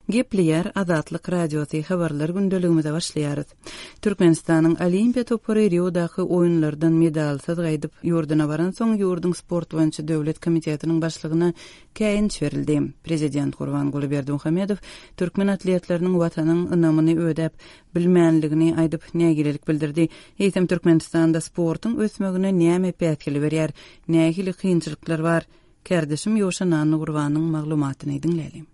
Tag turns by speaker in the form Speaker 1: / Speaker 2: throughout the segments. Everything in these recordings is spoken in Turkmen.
Speaker 1: Gepleýär Azatlyk Radiosy habarlar gündeligimize başlaýarys. Türkmenistanyň Olimpiýa topary Riodaky oýunlardan medalsyz gaýdyp, ýurduna baransoň, ýurduň sport boýunça döwlet komitetiniň başlygyna käýinç berildi. Prezident Gurbanguly Berdimuhamedow türkmen atletleriniň Watanyň ynamyny ödäp bilmänligini aýdyp, nägilelik bildirdi. Eýsem, Türkmenistanda sportuň ösmegine näme päsgel berýär? Nähili kynçylyklar bar? Kärdeşim Ýowşan Annagurbanyň maglumatyny diňläliň.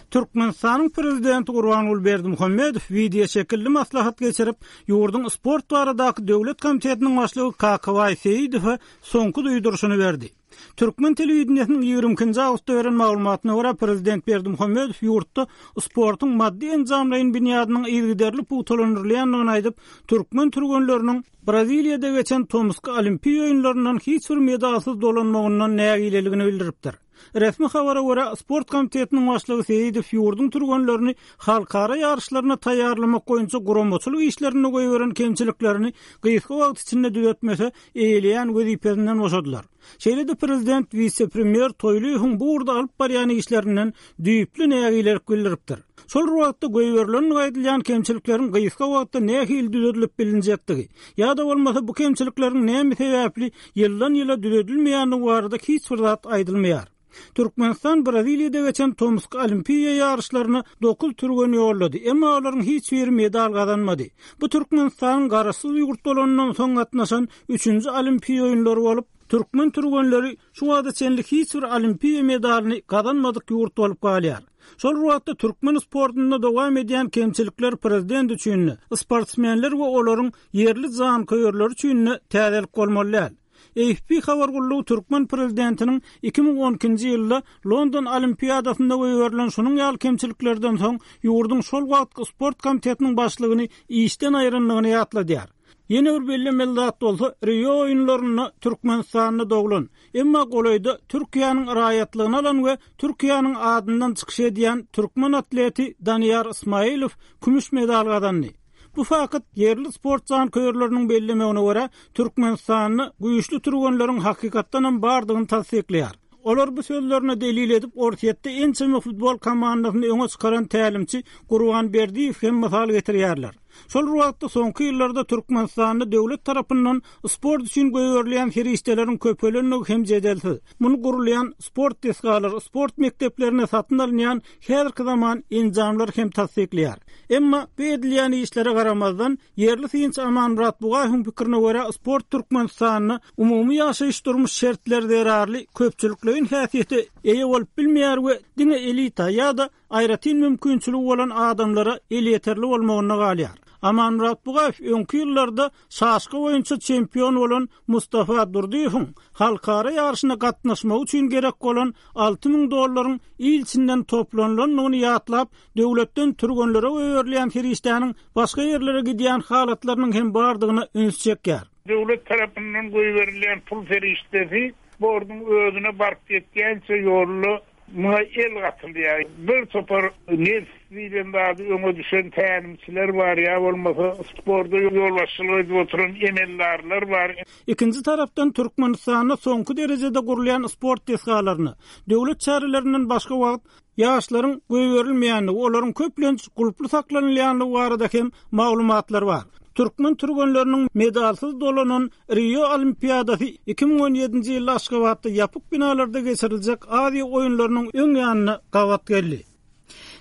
Speaker 2: Türkmenistanyň Prezidenti Gurbanguly Berdimuhamedow wideoşekilli maslahat geçirip, ýurduň Sport baradaky döwlet komitetiniň başlygy Kakabaý Seýidowa soňky duýduryşyny berdi. Türkmen telewideniýesiniň 22-nji awgustda beren maglumatyna görä, prezident Berdimuhamedow ýurtda sportuň maddy-enjamlaýyn binýadynyň yzygiderli pugtalandyrylýandygyny aýdyp, türkmen türgenleriniň Braziliýada geçen tomusky Olimpiýa oýunlaryndan hiç bir medalsyz dolanmagyndan nägileligini bildiripdir. Resmi habara görä, sport komitetiniň başlygy Seýidow ýurduň türgenlerini halkara ýaryşlaryna taýýarlamak boýunça guramaçylyk işlerinde goýberen kemçiliklerini gysga wagt içinde düzetmese, eýeleýän wezipesinden boşadylar. Şeýle-de prezident wise-premýer Toýlyýewiň bu ugurda alyp barýan işlerinden düýpli nägilelik bildiripdir. Şol bir wagtda goýberilendigi aýdylýan kemçilikleriň gysga wagtda nähili düzedilip bilinjekdigi, ýa-da bolmasa bu kemçilikleriň näme sebäpli ýyldan-ýyla düzedilmeýändigi barada hiç bir zat aýdylmaýar. Türkmenistan Braziliýada geçen tomusky Olimpiýa ýaryşlaryna dokuz türgen ýollady, emma olaryň hiç biri medal gazanmady. Bu Türkmenistanyň garaşsyz ýurt bolanyndan soň gatnaşan üçünji Olimpiýa oýunlary bolup, türkmen türgenleri şu wagta çenli hiç bir Olimpiýa medalyny gazanmadyk ýurt bolup galýar. Şol bir wagtda türkmen sportunda dowam edýän kemçilikler prezident üçin-de, sportsmenler we olaryň ýerli janköýerleri üçin-de täzelik bolmaly däl. AFP habar gullugy türkmen prezidentiniň 2012-nji ýylda London Olimpiadasynda goýberilen şunuň ýaly kemçiliklerden soň ýurduň şol wagtky sport komitetiniň başlygyny işden aýrandygyny ýatladýar. Ýene bir bellemeli zat bolsa, Rio oýunlarynda Türkmenistanda doglan, emma golaýda Türkiýäniň raýatlygyny alan we Türkiýäniň adyndan çykyş edýän türkmen atleti Daniýar Ismailow kümüş medal gazandy. Bu fakt, ýerli sport janköýerleriniň bellemegine görä, Türkmenistanda güýçli türgenleriň hakykatdanam bardygyny tassyklaýar. Olar bu sözlerine delil edip, Orsýetde ençeme futbol komandasyny öňe çykaran tälimçi Gurban Berdiýew hem mysal getirýärler. Şol bir wagtda, soňky ýyllarda Türkmenistanda döwlet tarapyndan sport üçin goýberilýän serişdeleriň köpelendigi hem jedelsiz. Muny gurulýan sport desgalary, sport mekdeplerinde satyn alynýan häzirki zaman enjamlar hem tassyklaýar. Emma bu edilýän işlere garamazdan, ýerli synçy Amanmyrat Bugaýewiň pikirine görä, sport Türkmenistanda umumy ýaşaýyş-durmuş şertleri zerarly köpçülikleýin häsiýete eýe bolup bilmeýär we diňe elita ýa-da aýratyn mümkinçiligi bolan adamlara elýeterli bolmagynda galýar. Amanmyrat Bugaýew öňki ýyllarda şaşka boýunça çempion bolan Mustafa Durdyýewiň halkara ýaryşyna gatnaşmagy üçin gerek bolan 6000 dollaryň il içinden toplanylandygyny ýatlap, döwletden türgenlere goýberilýän serişdäniň başga ýerlere gidýän halatlarynyň hem bardygyna üns çekýär.
Speaker 3: Döwlet tarapyndan goýberilýän pul serişdesi sportuň özüne baryp ýetýänçä ýolda Muňa el gatylýar. Bir topar nebs diýlen zady öňe düşen tälimçiler bar ýa bolmasa sporda ýolbaşçylyk edip oturan emeldarlar bar.
Speaker 2: Ikinji tarapdan Türkmenistanda soňky derejede gurulýan sport desgalaryna döwlet çärelerinden başga wagt ýaşlaryň goýberilmeýändigi, olaryň köplenç gulply saklanylýandygy barada hem maglumatlar bar. Türkmen türgenleriniň medalsyz dolanan Rio Olimpiadasy 2017-nji ýylda Aşgabatda ýapyk binalarda geçiriljek Aziýa oýunlarynyň öň ýanyna gabat geldi.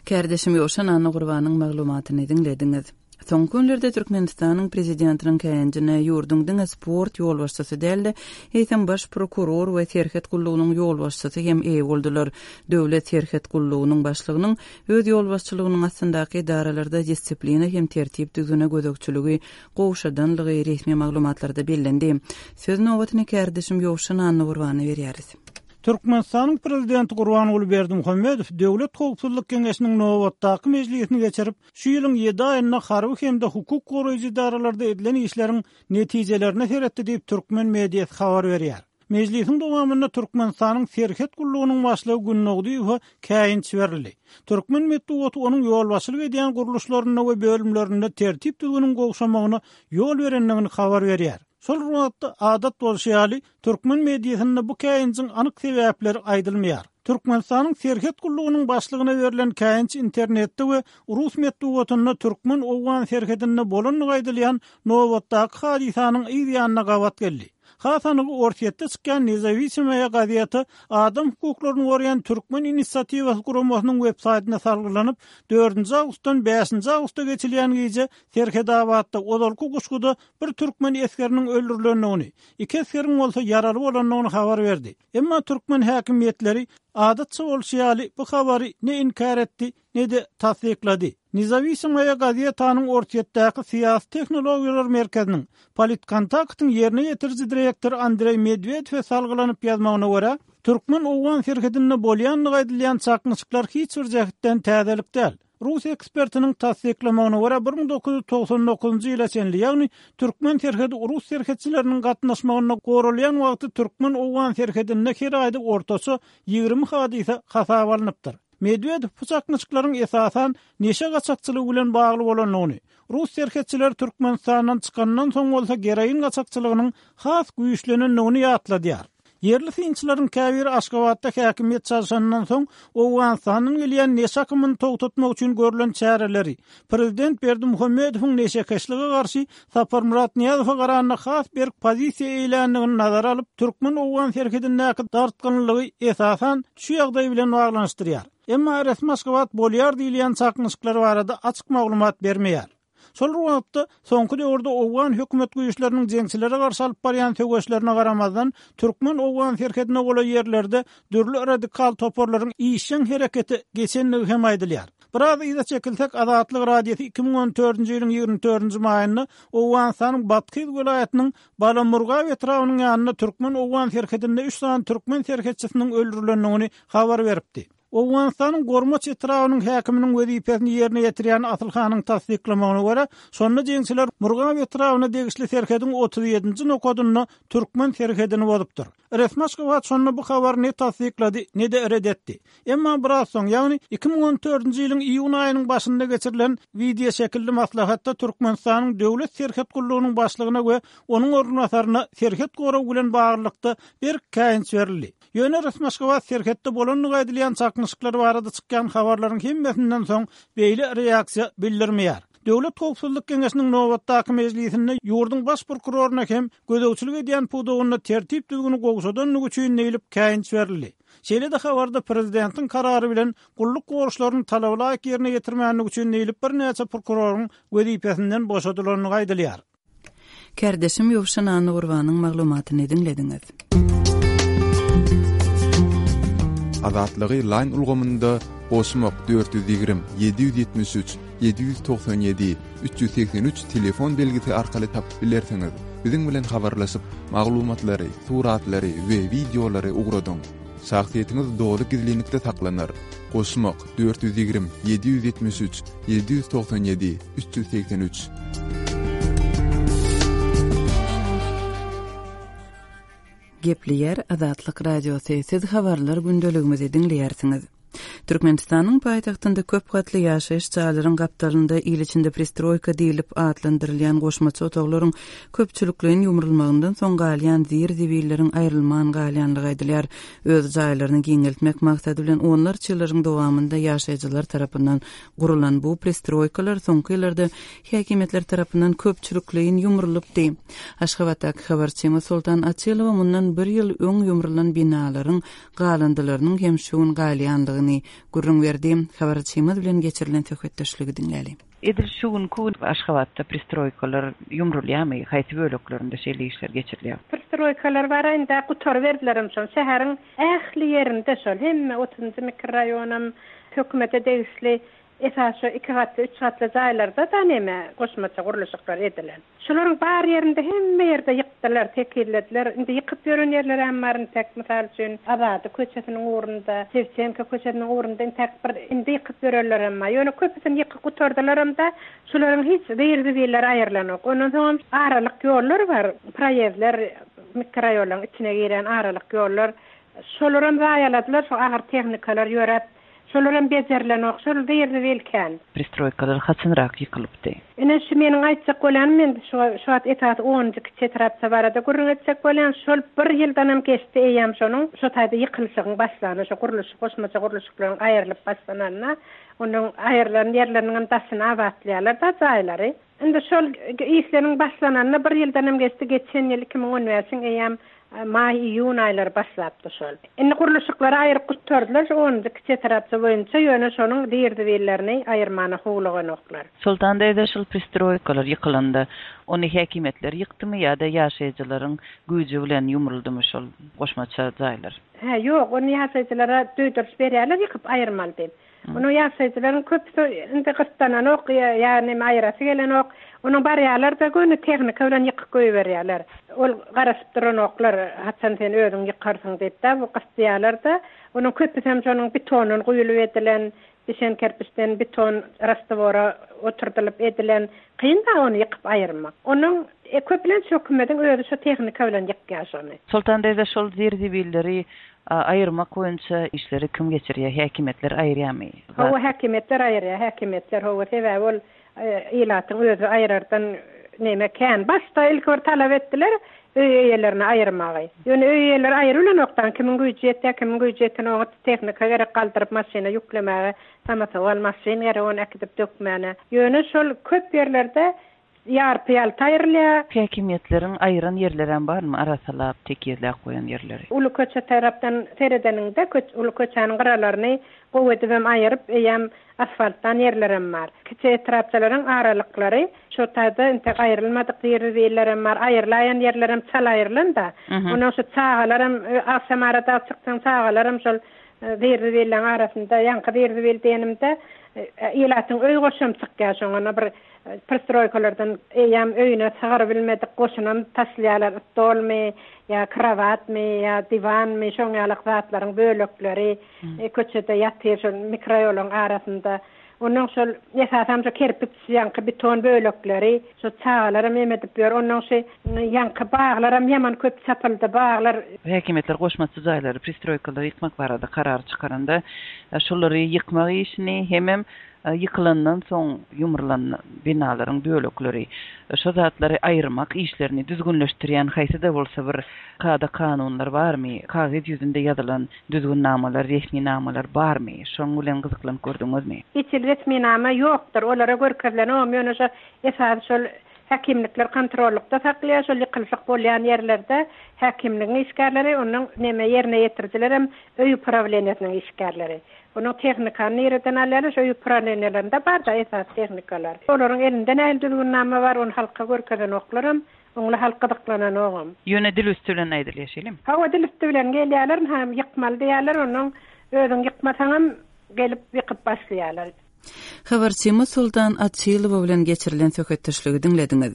Speaker 1: Kärdeşim Ýowşan Annagurbanyň maglumatyny diňlediňiz. Soňky günlerde Türkmenistanyň Prezidentiniň käýinjine ýurduň diňe sport ýolbaşçysy däl-de, eýsem baş prokuror we serhet gullugynyň ýolbaşçysy hem eýe boldular. Döwlet serhet gullugynyň başlygynyň öz ýolbaşçylygynyň astyndaky edaralarda distsiplina hem tertip-düzgüne gözegçiligi gowşadanlygy resmi maglumatlarda bellendi. Söz nobatyny kärdeşim Ýowşan Annagurbana berýäris.
Speaker 2: Türkmenistanyň Prezidenti Gurbanguly Berdimuhamedow Döwlet howpsuzlyk geňeşiniň nobatdaky mejlisini geçirip, şu ýylyň ýedi aýynda harby hem-de hukuk goraýjy edaralarda edilen işleriň netijelerine seretdi diýip, türkmen mediasy habar berýär. Mejlisiň dowamynda Türkmenistanyň Serhet gullugynyň başlygy Gündogdyýewe käýinç berildi. Türkmen metbugaty onuň ýolbaşçylyk edýän gurluşlarynda we bölümlerinde tertip-düzgüniň gowşamagyna ýol berendigini habar berýär. Şol bir wagtda, adat bolşy ýaly, türkmen mediasynda bu käýinjiň anyk sebäpleri aýdylmaýar. Türkmenistanyň Serhet gullugynyň başlygyna berlen käýinç internetde we rus metbugatynda türkmen-owgan serhedinde bolandygy aýdylýan nobatdaky hadysanyň yz ýanyna gabat geldi. Has anygy Orsýetde çykýan Nezawisimoýa gazeti adam hukuklaryny goraýan Türkmen inisiatiwasy guramasynyň websaýtyna salgylanyp, dördünji awgustdan bäşinji awgusta geçilýän gije Serhetabatda, ozalky Guşguda bir türkmen esgeriniň öldürilendigini, iki esgeriň bolsa ýaraly bolandygyny habar berdi. Emma türkmen häkimiýetleri, adatça bolşy ýaly, bu habary ne inkär etdi, ne-de tassyklady. Nezawisimoýa gazetanyň Orsýetdäki syýasy tehnologiýalar merkeziniň, Politkontaktyň ýerine ýetiriji direktory Andreý Medwedewe salgylanyp ýazmagyna görä, türkmen-owgan serhedinde bolýandygy aýdylýan çaknyşyklar hiç bir jähtden täzelik däl. Rus ekspertiniň tassyklamagyna görä, 1999-njy ýyla çenli, ýagny türkmen serhedi rus serhetçileriniň gatnaşmagynda goralýan wagty türkmen-owgan serhedinde her aýda ortaça 20 hadysa hasaba alnypdyr. Medwedew bu çaknyşyklaryň esasan neşe gaçakçylygy bilen bagly bolandygyny, rus serhetçileri Türkmenistandan çykandan soň bolsa geroin gaçakçylygynyň has güýçlenendigini ýatladýar. Ýerli synçylaryň käbiri Aşgabatda häkimiýet çalşanyndan soň Owganystandan gelýän neşe akymyny togtatmak üçin görlen çäreleri, prezident Berdimuhamedowyň neşekeşlige garşy Saparmyrat Nyýazowa garanda has berk pozisiýa eýländigini nazara alyp, türkmen-owgan serhedindäki dartgynlylygy esasan şu ýagdaý bilen baglanyşdyrýar. Emma resmi Aşgabat bolýar diýilýän çaknyşyklar barada açyk maglumat bermeýär. Şol bir wagtda, soňky döwürde owgan hökümet güýçleriniň jeňçilere garşy alyp barýan söweşlerine garamazdan, türkmen-owgan serhedine golaý ýerlerde dürli radikal toparlaryň işjeň herekete geçendigi hem aýdylýar. Biraz yza çekilsek, Azatlyk Radiosy 2014-nji ýylyň 24-nji maýynda Owganystanyň Bathyz welaýatynyň Balamurgap etrabynyň ýanynda türkmen-owgan serhedinde üç sany türkmen serhetçisiniň öldürilendigini habar beripdi. Owganystanyň Gormaç etrabynyň häkiminiň wezipesini ýerine ýetirýän Asyl hanyň tassyklamagyna görä, şonda jeňçiler Murgap etrabyna degişli serhediň 37-nji nokadynda türkmen serhedini bozupdyr. Resmi Aşgabat şonda bu habary ne tassyklady, ne-de ret etdi. Emma biraz soň, ýagny 2014-nji ýylyň iýun aýynyň başynda geçirilen wideoşekilli maslahatda Türkmenistanyň Döwlet serhet gullugynyň başlygyna we onuň orunbasaryna serhet goragy bilen baglylykda berk käýinç berildi. Ýöne resmi Aşgabat serhetde bolandygy aýdylýan çaknyşyklar barada çykýan habarlaryň hemmesinden soň beýle reaksiýa bildirmeýär. Döwlet howpsuzlyk geňeşiniň nobatdaky mejlisinde ýurduň baş prokuroryna hem gözegçilik edýän pudagynda tertip-düzgüni gowşadandygy üçin diýlip käýinç berildi. Şeýle-de habarda prezidentiň karary bilen gulluk borçlaryny talabalaýyk ýerine ýetirmändigi üçin diýlip birnäçe prokuroryň wezipesinden boşadylandygy aýdylýar.
Speaker 1: Kärdeşim Ýowşan Annagurbanyň maglumatyny diňlediňiz.
Speaker 4: Azatlygy Line ulgamynda goşmak 420 773 797 383 telefon belgisi arkaly tapyp bilersiňiz. Biziň bilen habarlaşyp, maglumatlary, suratlary we wideolary ugradyň. Şahsyýetiňiz doly gizlinlikde saklanar. Goşmak 420 773 797 383.
Speaker 1: Gepleýär Azatlyk Radiosy, siz habarlar gündeligimizi diňleýärsiňiz. Türkmenistanyň paýtagtynda köp gatly ýaşaýyş jaýlaryň gapdalynda il içinde pristroýka diýlip atlandyrylýan goşmaça otaglaryň köpçülikleýin ýumrulmagyndan soň galýan zir-zibilleriň aýrylman galýanlygy aýdylýar. Öz jaýlaryny giňeltmek maksady bilen onlarça ýyllaryň dowamynda ýaşaýjylar tarapyndan Gurulan bu pristroýkalar soňky ýyllarda häkimiýetler tarapyndan köpçülikleýin ýumrulypdy. Aşgabatdaky habarçymyz Soltan Açylowa mundan bir ýyl öň ýumrulan binalaryň galyndylarynyň hem şu gün galýandygyny gürrüň berdi. Habarçymyz bilen geçirilen söhbetdeşligi diňläli. Edil şu günki gün Aşgabatda pristroýkalar ýumrulýarmy? Haýsy böleklerinde şeýle işler geçirilýär?
Speaker 5: Pristroýkalar bar indi gutaryberdilerem şol şäheriň Ähli ýerinde şol, hemme otuzynjy mikroraýonam hökümete degişli, esasy şo iki gatly, üç gatly jaýlarda-da neme, goşmaça gurluşyklar edilen. Şolaryň bar ýerinde hemme ýerde ýykdylar, tekizlediler. Indi ýykyp ýören ýerlerem bar intäk, mysal üçin, Azady köçesiniň ugrunda, Şewçenko köçesiniň ugrunda intäk bir indi ýykyp ýörenlerem bar. Ýöne köpüsini ýykyp gutardylaram-da, şolaryň hiç zir-zibilleri aýrylanok. Ondan soňam aralyk ýollar bar, proýezdler. mikroraýonlaryň içine girýän aralyk ýollar, şolaram zaýaladylar, şo agyr tehnikalar ýöräp, şolaram bejerilenok, şol zir-zibil kän.
Speaker 1: Pristroýkalar haçanrak ýykylypdy?
Speaker 5: Ine, şu meniň aýtjak bolýanym, men şu şu wagt esasy onunjy kiçi etrapça barada gürrüň etjek bolýan, şol bir ýyldanam geçdi eýýäm şonuň şo taýda ýykylyşygyň başlany, şo gurluşyk, goşmaça gurluşyklaryň aýrylyp başlananyna, onuň aýrylan ýerleriniňem daşyny abatlaýarlar-da jaýlary. Indi şol işleriň başlananyna bir ýyldanam geçdi, geçen ýyl 2015-iň eýýäm maý, iýun aýlary başlapdy şol. Indi gurluşyklary aýryp gutardylar şu onunjy kiçi etrapça boýunça, ýöne şonuň zir-zibillerini aýyrmana howluganoklar.
Speaker 1: Soltan daýza şol pristroýkalar ýykylanda ony häkimiýetler ýykdymy ýa-da ýaşaýjylaryň güýji bilen ýumruldymy şol goşmaça jaýlar?
Speaker 5: Hä, ýok, ony ýaşaýjylara duýduryş berýärler ýykyp aýyrmaly diýip. Onuň ýaşaýjylaryň köpüsi indi gyssananok ýa neme aýyrasy gelenok. Onuň barýarlar-da göni tehnika bilen ýykyp goýberýärler. Ol garaşyp duranoklar, haçan sen özüň ýykarsyň diýip-de, bu gysdyýarlar-da. Onuň köpüsem şonuň betondan guýulyp edilen, bişen kerpiçden beton rastwora oturdylyp edilen. Kyn-da ony ýykyp aýyrmak. Onuň köplenç hökümediň özi şo tehnika bilen ýykýar şony.
Speaker 1: Soltan daýza şol zir-zibilleri Aýyrmak boýunça işleri kim geçirýär? Häkimiýetler aýyrýarmy?
Speaker 5: Hawa, häkimiýetler aýyrýar, häkimiýetler, hawa, sebäbi ol ilatyň özi aýyrardan neme kän. Başda ilki bir talap etdiler öý eýelerine aýyrmagy. Ýöne öý eýeleri aýrybilenokdan, kimiň güýji ýetýär, kimiň güýji ýetenok, tehnika gerek galdyryp maşyna ýüklemäge, samosowal maşyn gerek ony äkidip dökmäne. Ýöne şol köp ýerlerde Ýarpy-ýalta aýrylýar.
Speaker 1: Häkimiýetleriň aýyran ýerlerem barmy, arassalap, tekizläp goýan ýerleri?
Speaker 5: Uly köçe tarapdan seredeniňde, uly köçäniň gyralaryny gowy edibem aýyryp, eýýäm asfaltlan ýerlerem bar. Kiçi etrapçalaryň aralyklary şo taýda entek aýrylmadyk zir-zibillerem bar. Aýrylaýan ýerlerem çal aýrylan-da. Onnoň şu çagalaram, agşamara dagy çyksaň çagalaram şol zir-zibilleň arasynda, ýaňky zir-zibil diýenimde, ilatyň öý goşam çykýar şoňa bir Pristroýkalardan eýýäm öýüne sygyr bilmedik goşunam taşlaýarlar, stolmy ýa krowatmy ýa diwanmy şoň ýalak zatlaryň bölekleri köçede ýatyr şol mikroýolaň arasynda. Onnoň şol esasam şo kerpiç ýaňky beton bölekleri şo çagalaram em edip ýör. Onnoň şy ýaňky baglaram ýaman köp çapyldy baglar.
Speaker 1: Häkimiýetler goşmaça jaýlary, pristroýkalary ýykmak barada karar çykaranda şolary ýykmak işini hemem Ýykylandan soň ýumrulan binalaryň bölekleri, şo zatlary aýyrmak işlerini düzgünleşdirýän haýsy-da bolsa bir kada-kanunlar barmy? Kagyz ýüzünde ýazylan düzgünnamalar, resminamalar barmy? Şoň bilen gyzyklanyp gördüňizmi?
Speaker 5: Hiç hili resminama ýokdur. Olara görkezilenogam, ýöne şo esasy şol häkimlikler kontrollykda saklaýar, şol ýykylyşyk bolýan ýerlerde häkimligiň işgärleri, ondan neme ýerine ýetirijilerem öý uprawleniýesiniň işgärleri. Onuň tehnikany nireden alýarlar? Şo upravleniýalarynda bar-da esasy tehnikalar. Olaryň elinde nähili düzgünnama bar, ony halka görkezenoklaram, oňla halk gyzyklananogam.
Speaker 1: Ýöne dil üsti bilen aýdylýar, şeýlemi?
Speaker 5: Hawa, dil üsti bilen gelýärler, ynha, ýykmaly diýýärler, onnoň özüň ýykmasaňam gelip ýykyp başlaýarlar.
Speaker 1: Habarçymyz Soltan Açylowa bilen geçirilen söhbetdeşligi diňlediňiz.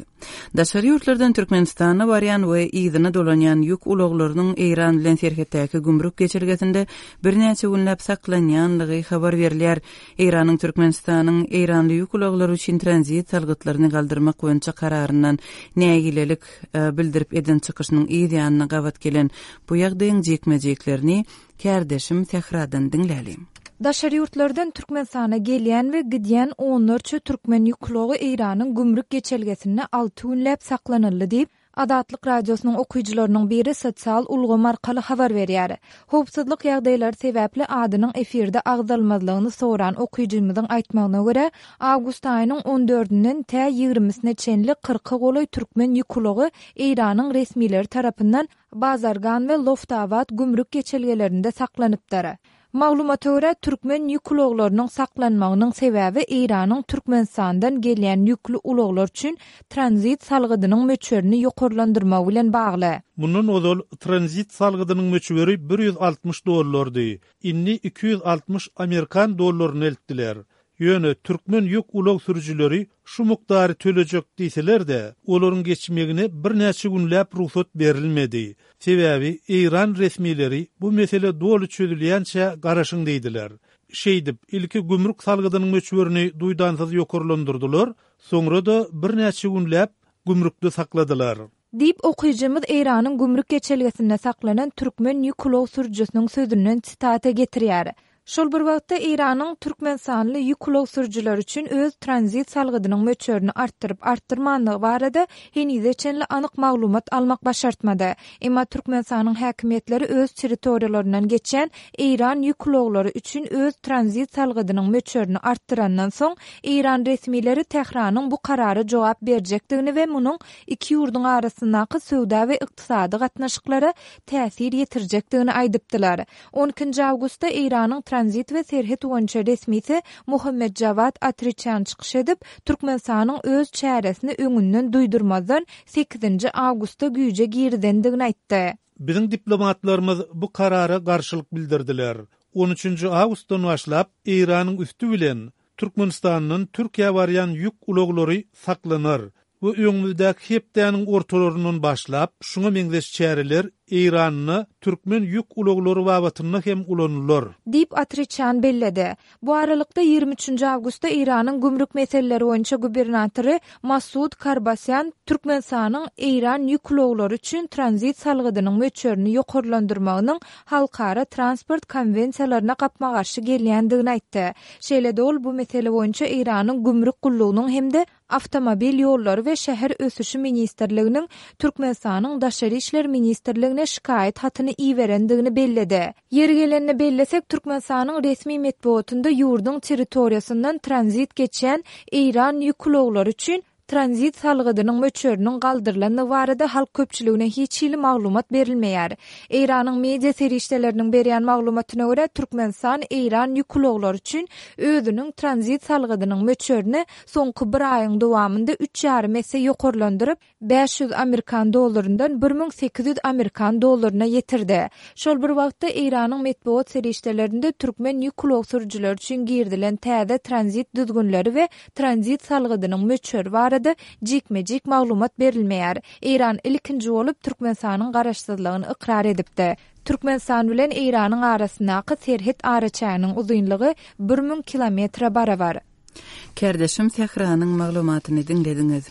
Speaker 1: Daşary ýurtlardan Türkmenistana barýan we yzyna dolanýan ýük ulaglarynyň Eýran bilen serhetdäki gümrük geçelgesinde birnäçe günläp saklanýanlygy habar berilýär. Eýranyň Türkmenistanyň eýranly ýük ulaglary üçin tranzit salgytlaryny galdyrmak boýunça kararyndan nägilelik bildirip eden çykyşynyň yz ýanyna gabat gelen bu ýagdaýyň jikme-jiklerini Kärdeşim Sähradan diňläliň.
Speaker 6: Daşary ýurtlardan Türkmenistana gelýän we gidýän onlarça türkmen ýük ulagy Eýranyň gümrük geçelgesinde alty günläp saklanyldy diýip, Azatlyk Radiosynyň okyjylarynyň biri sosial ulgam arkaly habar berýär. Howpsuzlyk ýagdaýlary sebäpli adynyň efirde agzalmazlygyny soran okyjymyzyň aýtmagyna görä, awgust aýynyň on dördünden tä ýigrimisine çenli kyrka golaý türkmen ýük ulagy Eýranyň resmileri tarapyndan Bazargan we Loftabad gümrük geçelgelerinde saklanypdyr. Maglumata görä, türkmen ýük ulaglarynyň saklanmagynyň sebäbi Eýranyň Türkmenistandan gelýän ýükli ulaglar üçin tranzit salgydynyň möçberini ýokarlandyrmagy bilen bagly.
Speaker 2: Mundan ozal tranzit salgydynyň möçberi 160 dollardy, indi 260 amerikan dollaryna eltdiler. Ýöne türkmen ýük ulag sürüjileri şu mukdary tölejek diýseler-de, olaryň geçmegine birnäçe günläp rugsat berilmedi. Sebäbi eýran resmileri bu mesele doly çözülýänçä garaşyň diýdiler. Şeýdip, ilki gümrük salgydynyň möçberini duýdansyz ýokarlandyrdylar, soňra-da birnäçe günläp gümrükde sakladylar.
Speaker 6: Diýip, okyjymyz Eýranyň gümrük geçelgesinde saklanan türkmen ýük ulag sürüjisiniň sözünden sitata getirýär. Şol bir wagtda, Eýranyň türkmenistanly ýük ulag sürüjileri üçin öz tranzit salgydynyň möçberini artdyryp-artdyrmanlygy barada henize çenli anyk maglumat almak başartmady. Emma Türkmenistanyň häkimiýetleri öz territoriýalaryndan geçýän eýran ýük ulaglary üçin öz tranzit salgydynyň möçberini artdyrandan soň, eýran resmileri Tähranyň bu karara jogap berjekdigini we munuň iki ýurduň arasyndaky söwda we ykdysady gatnaşyklara täsir ýetirjekdigini aýdypdylar. On ikinji awgustda Eýranyň tranzit we serhet boýunça resmisi Muhammet Jawad Atriçan çykyş edip, Türkmenistanyň öz çäresini öňünden duýdurmazdan sekizinji awgustda güýje girizendigini aýtdy.
Speaker 7: Biziň diplomatlarymyz bu karara garşylyk bildirdiler. On üçünji awgustdan başlap Eýranyň üsti bilen Türkmenistandan Türkiýä barýan ýük ulaglary saklanar we öňümizdäki hepdäniň ortalaryndan başlap şuňa meňzeş çäreler Eýranda türkmen ýük ulaglary babatynda hem ulanylar.
Speaker 6: Diýip, Atriçan belledi. Bu aralykda, 23 üçünji awgustda Eýranyň gümrük meseleleri boýunça gubernatory Masud Karbasýan Türkmenistanyň Eýran ýük ulaglary üçin tranzit salgydynyň möçberini ýokarlandyrmagynyň halkara transport konwensiýalaryna gapma-garşy gelýändigini aýtdy. Şeýle-de ol bu mesele boýunça Eýranyň gümrük gullugynyň hem-de Awtomobil ýollary we şäher ösüşi ministrliginiň Türkmenistanyň Daşary işler ministrligine şikaýat hatyny iberendigini belledi. Ýeri gelende bellesek, Türkmenistanyň resmi metbugatynda ýurduň territoriýasyndan tranzit geçýän eýran ýük ulaglary üçin tranzit salgydynyň möçberiniň galdyrylandygy barada halk köpçüligine hiç hili maglumat berilmeýär. Eýranyň media serişdeleriniň berýän maglumatyna görä, Türkmenistan eýran ýük ulaglary üçin özüniň tranzit salgydynyň möçberini soňky bir aýyň dowamynda üç ýarym esse ýokarlandyryp, 500 amerikan dollaryndan 1800 amerikan dollaryna ýetirdi. Şol bir wagtda, Eýranyň metbugat serişdelerinde türkmen ýük ulag sürüjileri üçin girizilen täze tranzit düzgünleri we tranzit salgydynyň möçberi barada jikme-jik maglumat berilmeýär. Eýran ilkinji bolup Türkmenistanyň garaşsyzlygyny ykrar edipdi. Türkmenistan bilen Eýranyň arasyndaky serhet araçäginiň uzynlygy 1000 kilometre barabar.
Speaker 1: Kärdeşim Sähranyň maglumatyny diňlediňiz.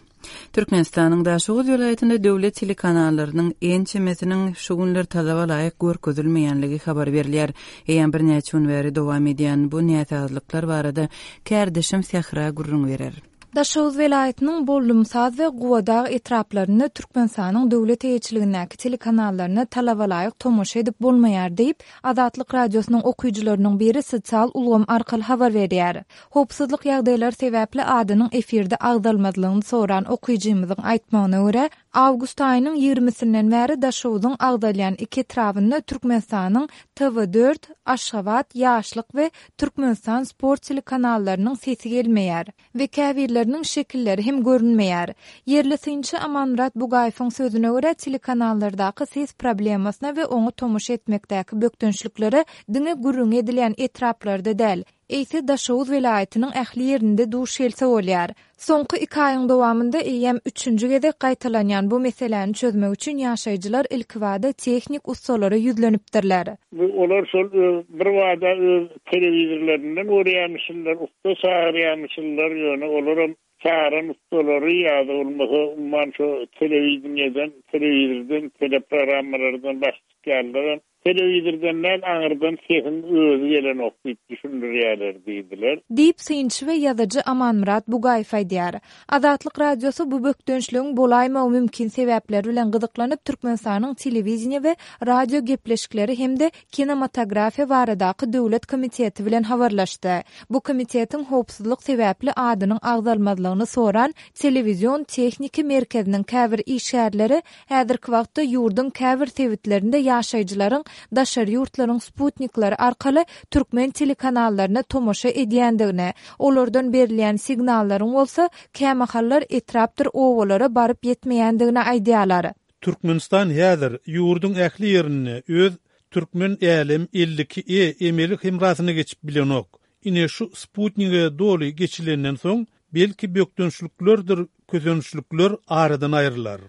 Speaker 1: Türkmenistanyň Daşoguz welaýatynda döwlet telekanallarynyň ençemesiniň şu günler talaba laýyk görkezilmeýänligi habar berilýär. Eýýäm birnäçe gün bäri dowam edýän bu näsazlyklar barada kärdeşim Sähra gürrüň berer.
Speaker 6: Daşoguz welaýatynyň Bollumsaz we Gubadag etraplarynda Türkmenistanyň döwlet eýeçiligindäki telekanallaryna talabalaýyk tomaşa edip bolmaýar diýip, Azatlyk Radiosynyň okyjylarynyň biri sosial ulgam arkaly habar berýär. Howpsuzlyk ýagdaýlary sebäpli adynyň efirde agzalmazlygyny soran okyjymyzyň aýtmagyna görä, awgust aýynyň ýigrimisinden bäri Daşoguzyň agzalýan iki etrabynda Türkmenistanyň TV dört, Aşgabat, Ýaşlyk we Türkmenistan sport telekanallarynyň sesi gelmeýär. We käbirleriniň şekilleri hem görünmeýär. Ýerli synçy Amanmyrat Bugaýewiň sözüne görä, telekanallardaky ses problemasyna we oňa tomaşa etmekdäki bökdençliklere diňe gürrüňi edilýän etraplarda däl, eýse Daşoguz welaýatynyň ähli ýerinde duş gelse bolýar. Soňky iki aýyň dowamynda eýýäm üçünji gezek gaýtalanýan bu meseläni çözmek üçin ýaşaýjylar ilkibada tehnik ussalara ýüzlenipdirler.
Speaker 3: Bu olar şol öz birbada öz telewizorlaryndan görýärmişinler, ussa çagyrýarmyşynlar, ýöne olaram çagyran ussalary ýa-da bolmasa umuman şo telewideniýeden, telewizordan, teleprogrammalardan baş çykýanlaram Telewizordan däl, aňyrdan sesiň özi gelenok diýip düşündirýärler diýdiler.
Speaker 6: Diýip, synçy we ýazyjy Amanmyrat Bugaýew aýdýar. Azatlyk Radiosy bu bökdençligiň bolaýmagy mümkin sebäpleri bilen gyzyklanyp, Türkmenistanyň Telewideniýe we radio gepleşikleri hem-de kinematografiýa baradaky döwlet komiteti bilen habarlaşdy. Bu komitetiň howpsuzlyk sebäpli adynyň agzalmazlygyny soran Telewizion tehniki merkeziniň käbir işgärleri Häzirki wagtda ýurduň käbir sebitlerinde ýaşaýjylaryň daşary ýurtlaryň sputnikleri arkaly türkmen telekanallaryna tomaşa edýändigini, olardan berilýän signallaryň bolsa kämahallar etrapdyr obalara baryp ýetmeýändigini aýdýarlar.
Speaker 7: Türkmenistan häzir ýurduň ähli ýerinde öz Türkmen Älem 52 E emeli hemrasyna geçip bilenok. Ine şu sputnige doly geçilenden soň belki bökdençliklerdir kösençlikler aradan aýrylar.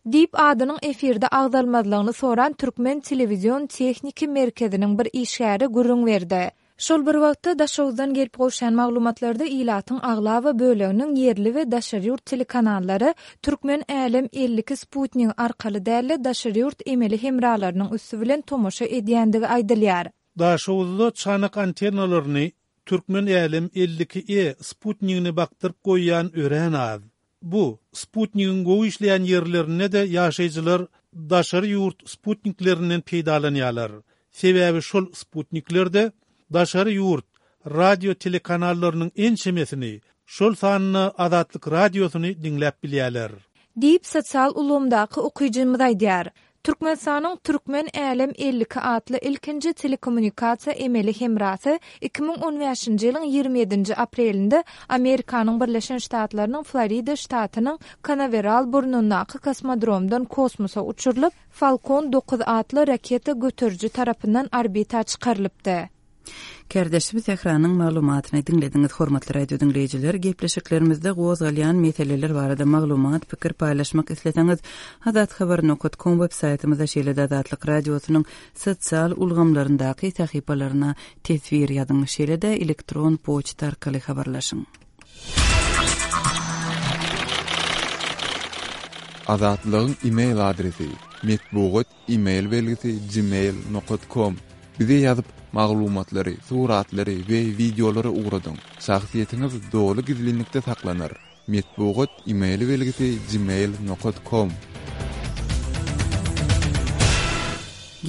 Speaker 6: Diýip, adynyň efirde agzalmazlygyny soran Türkmen telewizion tehniki merkeziniň bir işgäri gürrüň berdi. Şol bir wagtda, Daşoguzdan gelip gowşan maglumatlarda ilatyň aglaba böleginiň ýerli we daşary ýurt telekanallary Türkmen Älem 52 sputnigi arkaly däl-de, daşary ýurt emeli hemralarynyň üsti bilen tomaşa edýändigi aýdylýar.
Speaker 7: Daşoguzda çanak antennalaryny Türkmen Älem 52 E sputnigine bakdyryp goýýan örän az. Bu sputnigiň gowy işleýän ýerlerinde-de ýaşaýjylar daşary ýurt sputniklerinden peýdalanýarlar. Sebäbi şol sputniklerde daşary ýurt radio-telekanallarynyň ençemesini, şol sanda Azatlyk Radiosyny diňläp bilýärler.
Speaker 6: Diýip, sosial ulgamdaky okyjymyz aýdýar. Türkmenistanyň Türkmen Älem 52 atly ilkinji telekommunikasiýa emeli hemrasy 2015-nji ýylyň 27-nji aprelinde Amerikanyň Birleşen Ştatlarynyň Florida ştatynyň Kanaweral burnundaky kosmodromdan kosmosa uçurylyp, Falcon 9 atly raketa göteriji tarapyndan orbita çykarylypdy.
Speaker 1: Kärdeşimiz Sähranyň maglumatyny diňlediňiz. Hormatly radio diňleýjiler, gepleşiklerimizde gozgalýan meseleler barada maglumat, pikir paýlaşmak isleseňiz, azathabar nokat kom web saýtymyza şeýle-de Azatlyk Radiosynyň sosial ulgamlaryndaky sahypalaryna teswir ýazyň, şeýle-de elektron poçta arkaly habarlaşyň.
Speaker 4: Azatlygyň e-mail adresi, metbugat E-mail belgisi gmail nokat kom Bize ýazyp, maglumatlary, suratlary we wideolary ugradyň. Şahsyýetiňiz doly gizlinlikde saklanar. Metbugat E-mail belgisi gmail nokat kom.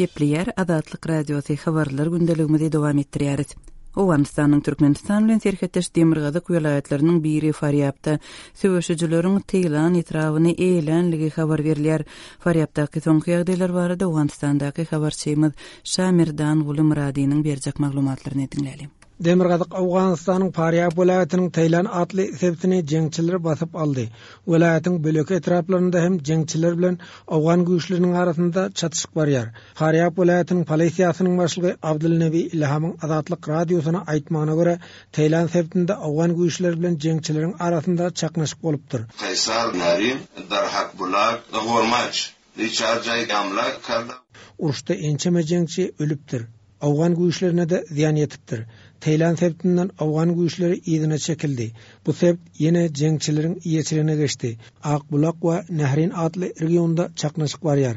Speaker 1: Gepleýär Azatlyk Radiosy Habarlar gündeligimizi dowam etdirýäris. Owganystanyň Türkmenistan bilen serhetdeş demirgazyk welaýatlarynyň biri Farýabda söweşijileriň Teýlan etrabyny eýelänligi habar berilýär. Farýabdaky soňky ýagdaýlar barada Owganystandaky habarçymyz Şamerdan Gulymyradynyň berjek maglumatlaryny diňläliň.
Speaker 8: Demirgazyk Owganystanyň Farýab welaýatynyň Teýlan atly sebitini jeňçiler basyp aldy. Welaýatyň böleki etraplarynda hem jeňçiler bilen owgan güýçleriniň arasynda çatyşyk barýar. Farýab welaýatynyň polisiýasynyň başlygy Abdulnebi Ilhamyň Azatlyk Radiosyna aýtmagyna görä, Teýlan sebitinde owgan güýçleri bilen jeňçileriň arasynda çaknyşyk bolupdyr.
Speaker 9: Kaýsar, Narin, Darhakbulak, Gormaç, Riçar jaý hamla karda.
Speaker 8: Uruşda ençeme jeňçi ölüpdir. Owgan güýçlerine-de zyýan ýetipdir. Teýlan sebitinden owgan güýçleri yzyna çekildi. Bu sebit ýene jeňçileriň eýeçiligine geçdi. Akbulak we Nährin atly regionda çaknyşyk barýar.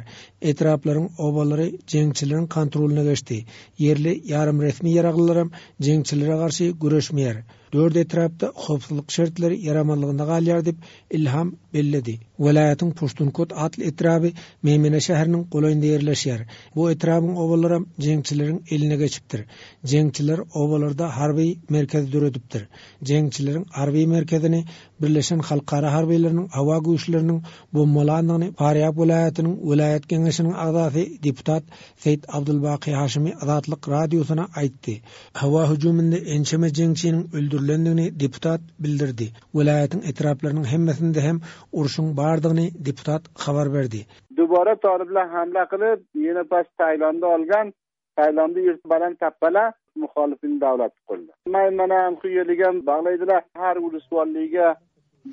Speaker 8: Etraplaryň obalary jeňçileriň kontrolyna geçdi. Ýerli ýarym-resmi ýaraglylaram jeňçilere garşy göreşmeýär. Dört etrapda howpsuzlyk şertleri ýaramazlygynda galýar diýip, Ilham belledi. Welaýatyň Puştunkot atly etraby Meýmene şäheriniň golaýynda ýerleşýär. Bu etrabyň obalaram jeňçileriň eline geçipdir. Jeňçiler obalarda harby merkez döredipdir. Jeňçileriň harby merkezini Birleşen halkara harbylarynyň howa güýçleriniň bombalandygyny Farýab welaýatynyň welaýat geňeşiniň agzasy deputat Seýit Abdulbaky Haşymy Azatlyk Radiosyna aýtdy. Howa hüjüminde ençeme jeňçiniň öldürilendigini deputat bildirdi. Welaýatyň etraplarynyň hemmesinde hem urşuň bardygyny deputat habar berdi.
Speaker 10: Dubara talyplar hamla kylyp, ýene pas Taýlandy algan, Taýlandy ýurt balan tapbala muhalifin dawlat gurdy. Maýmana huýeligem baglaýdylar. Har uluswallyga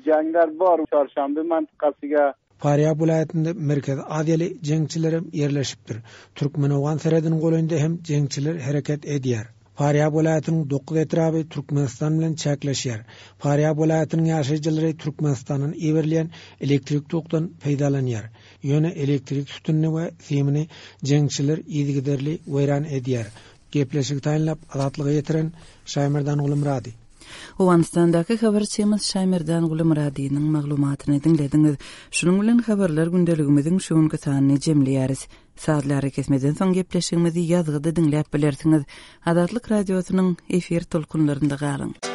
Speaker 10: janglar bor Çarşamby mantykasiga.
Speaker 8: Farýab welaýatynda Merkezi Aziýaly jeňçilerem ýerleşipdir. Türkmen-owgan serhediniň golaýynda hem jeňçiler hereket edýär. Farýab welaýatynyň dokuz etraby Türkmenistan bilen çäkleşýär. Farýab welaýatynyň ýaşaýjylary Türkmenistandan iberilýän elektrik tokdan peýdalanýar. Ýöne elektrik sütünini we simini jeňçiler yzygiderli weýran edýär. Gepleşigi taýynlap, Azatlyga ýetiren Şaýmerdan Gulumyrady.
Speaker 1: Owganystandaky habarçymyz Şaýmerdan Gulumyradynyň maglumatyny diňlediňiz. Şunuň bilen habarlar gündeligimiziň şu günki sanyny jemleýäris. Sazly arakesmeden soň gepleşigimizi ýazgyda diňläp bilersiňiz. Azatlyk Radiosynyň efir tolkunlarynda galyň.